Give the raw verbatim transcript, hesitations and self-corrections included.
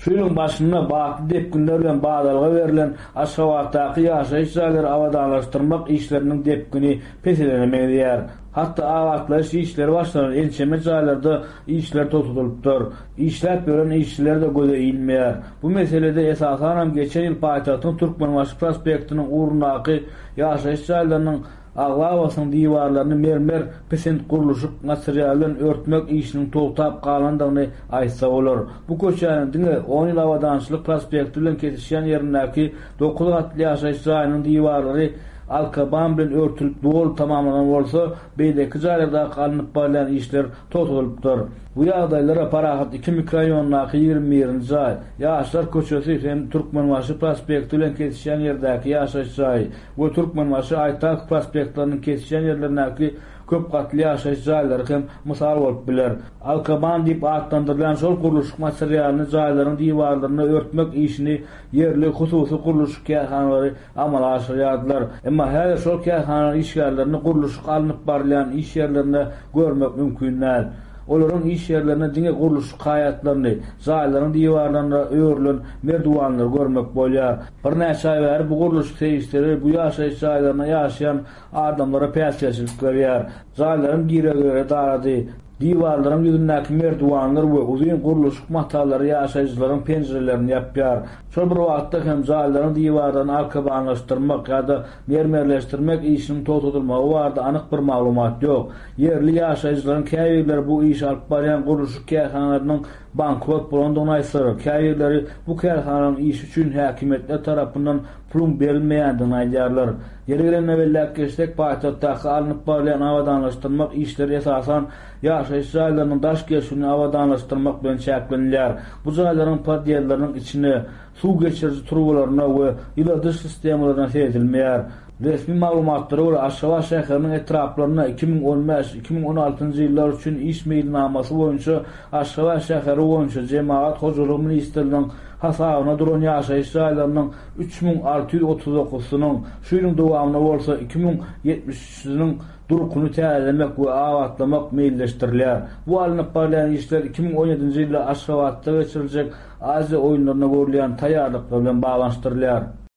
Şu ýylyň başynda batly depginler bilen badalga berlen Aşgabatdaky ýaşaýyş jaýlary abadanlaşdyrmak işleriniň depgini peselene meňzeýär. Hatda abatlaýyş işleri başlanan ençeme jaýlarda işler togtadylypdyr. Işläp ýören işçiler-de göze ilmeýär. Bu meselede esasanam geçen ýyl paýtagtyň Türkmenbaşy prospektiniň ugrundaky ýaşaýyş jaýlarynyň aglabasynyň diwarlaryny mermer pisint gurluşyk materialy bilen örtmek işiniň togtap galandygyny aýtsa bolar. Bu köçäniň diňe on ýyl abadançylyk prospekti bilen kesişýän ýerindäki dokuz gatly ýaşaýyş jaýynyň diwarlary alkaban bilen örtülip doly tamamlanan bolsa, beýleki jaýlardaky alnyp barylýan işler togtadylypdyr. Bu ýagdaýlara Parahat iki mikroraýondaky ýigrimi birinji jaý, Ýaşlar köçesi hem Türkmenbaşy prospekti bilen kesişýän ýerdäki ýaşaýyş jaýy we Türkmenbaşy Aýtak prospektleriniň kesişýän ýerlerindäki köp gatly ýaşaýyş jaýlary hem mysal bolup biler. Alkaban diýip atlandyrylýan şol gurluşyk materialyny jaýlaryň diwarlaryna örtmek işini ýerli hususy gurluşyk kärhanalary amala aşyrýardylar. Emma häzir şol kärhanalaryň işgärlerini gurluşyk alnyp barylýan iş ýerlerinde görmek mümkin däl. Olaryň iş ýerlerinde diňe gurluşyk haýatlaryny, jaýlaryň diwarlaryna örülen merdiwanlary görmek bolýar. Birnäçe aý bäri bu gurluşyk serişdeleri bu ýaşaýyş jaýlaryna ýaşaýan adamlara päsgelçilik berýär. Jaýlaryň giregeleri darady. Diwarlaryň ýüzündäki merdiwanlar we uzyn gurluşyk matalary ýaşaýjylaryň penjirelerini ýapýar. Şol bir wagtda hem jaýlaryň diwarlaryny alkabanlaşdyrmak ýa-da mermerleşdirmek işiniň togtadylmagy barada anyk bir maglumat ýok. Ýerli ýaşaýjylaryň käbirleri bu işi alyp barýan gurluşyk kärhanalarynyň bankrot bolandygyny aýtsalar, käbirleri bu kärhanalaryň işi üçin häkimiýetler tarapyndan puluň berilmeýändigini aýdýarlar. Ýeri gelende belläp geçsek, paýtagtdaky alnyp barylýan abadanlaşdyrmak işleri esasan ýaşaýyş jaýlarynyň daş gelşigini abadanlaşdyrmak bilen çäklenilýär. Bu jaýlaryň podýezdleriniň içine suw geçiriji turbalaryna we ýyladyş sistemalaryna seredilmeýär. Resmi maglumatlara görä, Aşgabat şäheriniň etraplarynda iki müň on bäş iki müň on altynjy ýyllar üçin iş meýilnamasy boýunça Aşgabat şäheri boýunça Jemagat hojalygy ministrliginiň hasabyna duran ýaşaýyş jaýlarynyň üç müň alty ýüz otuz dokuzysynyň, şu ýylyň dowamynda bolsa iki müň ýetmiş üçüsiniň durkuny täzelemek we abatlamak meýilleşdirilýär. Bu alnyp barylýan işler iki müň on ýedinji ýylda Aşgabatda geçiriljek Aziýa oýunlaryna görülýän taýýarlyklar bilen baglanyşdyrylýar.